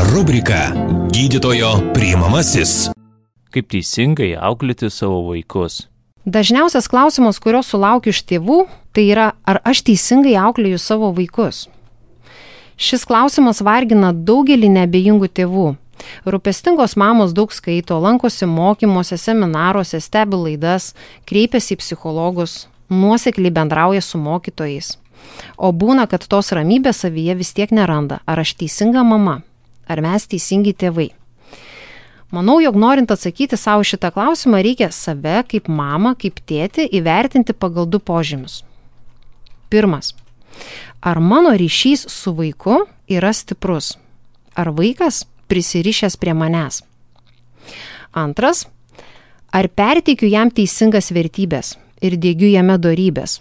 Rubrika Gydytojo priimamasis. Kaip teisingai auklėti savo vaikus? Dažniausias klausimas, kurio sulaukiu iš tėvų, tai yra, ar aš teisingai auklėju savo vaikus. Šis klausimas vargina daugelį neabejingų tėvų. Rūpestingos mamos daug skaito, lankosi mokymuose, seminaruose, stebi laidas, kreipiasi į psichologus, nuosekliai bendrauja su mokytojais. O būna, kad tos ramybės savyje vis tiek neranda. Ar aš teisinga mama? Ar mes teisingi tėvai? Manau, jog norint atsakyti savo šitą klausimą, reikia save kaip mamą, kaip tėtį įvertinti pagal 2 požymius. Pirmas. Ar mano ryšys su vaiku yra stiprus? Ar vaikas prisirišęs prie manęs? Antras. Ar perteikiu jam teisingas vertybės ir diegiu jame dorybės?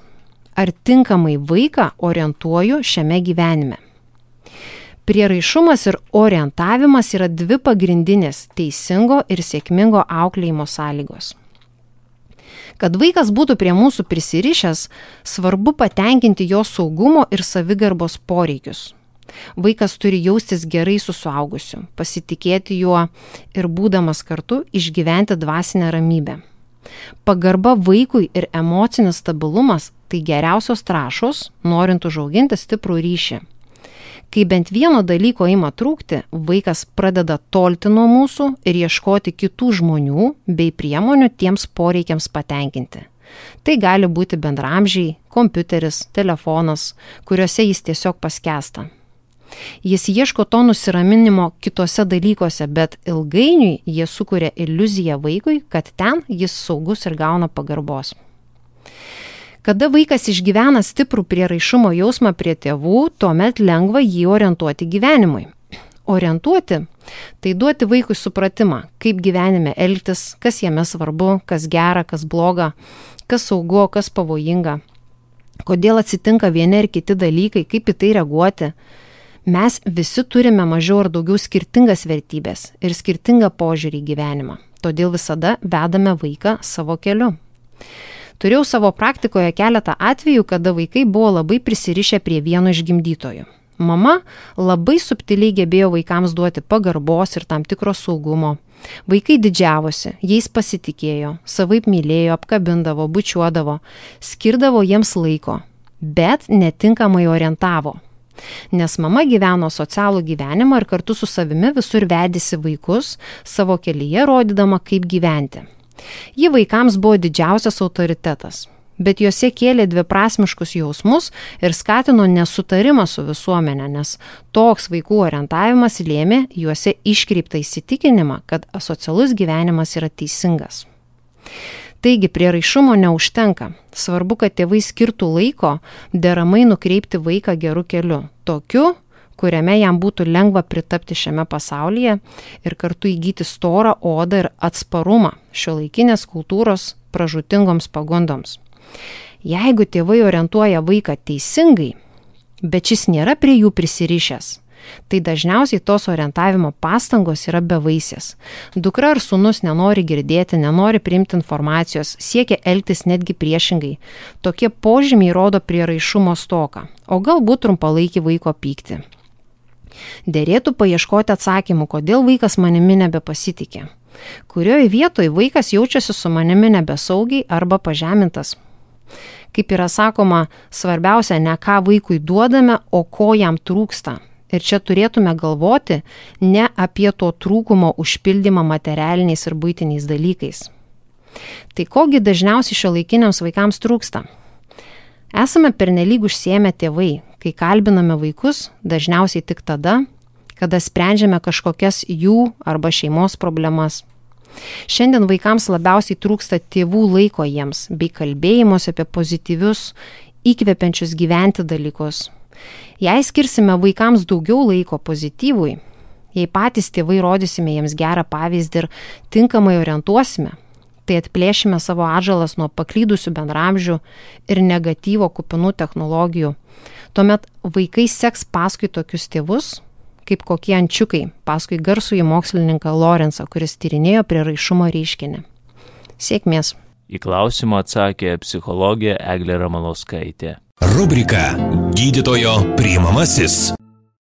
Ar tinkamai vaiką orientuoju šiame gyvenime? Prieraišumas ir orientavimas yra 2 pagrindinės teisingo ir sėkmingo auklėjimo sąlygos. Kad vaikas būtų prie mūsų prisirišęs, svarbu patenkinti jo saugumo ir savigarbos poreikius. Vaikas turi jaustis gerai su suaugusiu, pasitikėti juo ir būdamas kartu išgyventi dvasinę ramybę. Pagarba vaikui ir emocinis stabilumas – tai geriausios trąšos, norint užauginti stiprų ryšį. Kai bent vieno dalyko ima trūkti, vaikas pradeda tolti nuo mūsų ir ieškoti kitų žmonių bei priemonių tiems poreikiams patenkinti. Tai gali būti bendraamžiai, kompiuteris, telefonas, kuriuose jis tiesiog paskęsta. Jis ieško to nusiraminimo kitose dalykuose, bet ilgainiui jie sukuria iliuziją vaikui, kad ten jis saugus ir gauna pagarbos. Kada vaikas išgyvena stiprų prieraišumo jausmą prie tėvų, tuomet lengva jį orientuoti gyvenimui. Orientuoti – tai duoti vaikui supratimą, kaip gyvenime elgtis, kas jame svarbu, kas gera, kas bloga, kas saugu, kas pavojinga, kodėl atsitinka vieni ir kiti dalykai, kaip į tai reaguoti. Mes visi turime mažiau ar daugiau skirtingas vertybės ir skirtingą požiūrį į gyvenimą, todėl visada vedame vaiką savo keliu. Turėjau savo praktikoje keletą atvejų, kada vaikai buvo labai prisirišę prie vieno iš gimdytojų. Mama labai subtiliai gebėjo vaikams duoti pagarbos ir tam tikro saugumo. Vaikai didžiavosi, jais pasitikėjo, savaip mylėjo, apkabindavo, bučiuodavo, skirdavo jiems laiko, bet netinkamai orientavo. Nes mama gyveno socialų gyvenimą ir kartu su savimi visur vedėsi vaikus, savo kelyje rodydama, kaip gyventi. Ji vaikams buvo didžiausias autoritetas, bet juose kėlė dviprasmiškus jausmus ir skatino nesutarimą su visuomenė, nes toks vaikų orientavimas lėmė juose iškreiptą įsitikinimą, kad asocialus gyvenimas yra teisingas. Taigi prieraišumo neužtenka. Svarbu, kad tėvai skirtų laiko deramai nukreipti vaiką geru keliu, tokiu, kuriame jam būtų lengva pritapti šiame pasaulyje ir kartu įgyti storą odą ir atsparumą šiuolaikinės kultūros pražūtingoms pagundoms. Jeigu tėvai orientuoja vaiką teisingai, bet šis nėra prie jų prisirišęs, tai dažniausiai tos orientavimo pastangos yra bevaisės. Dukra ar sūnus nenori girdėti, nenori priimti informacijos, siekia elgtis netgi priešingai. Tokie požymiai rodo prieraišumo stoką, o galbūt trumpalaikį vaiko pyktį. Derėtų paieškoti atsakymų, kodėl vaikas manimi nebepasitikė. Kurioje vietoje vaikas jaučiasi su manimi nebesaugiai arba pažemintas. Kaip yra sakoma, svarbiausia ne ką vaikui duodame, o ko jam trūksta. Ir čia turėtume galvoti ne apie to trūkumo užpildymą materialiniais ir buitiniais dalykais. Tai kogi dažniausiai šiuolaikiniams vaikams trūksta? Esame pernelyg užsiėmę tėvai, kai kalbiname vaikus dažniausiai tik tada, kada sprendžiame kažkokias jų arba šeimos problemas. Šiandien vaikams labiausiai trūksta tėvų laiko jiems bei kalbėjimus apie pozityvius, įkvepiančius gyventi dalykus. Jei skirsime vaikams daugiau laiko pozityvui, jei patys tėvai rodysime jiems gerą pavyzdį ir tinkamai orientuosime, tai atplėšime savo atžalas nuo paklydusių bendraamžių ir negatyvo kupinų technologijų. Tuomet vaikai seks paskui tokius tėvus, kaip kokie ančiukai, paskui garsųjį mokslininką Lorenzą, kuris tyrinėjo prieraišumo reiškinį. Sėkmės. Į klausimą atsakė psichologė Eglė Ramanauskaitė. Rubrika Gydytojo priimamasis.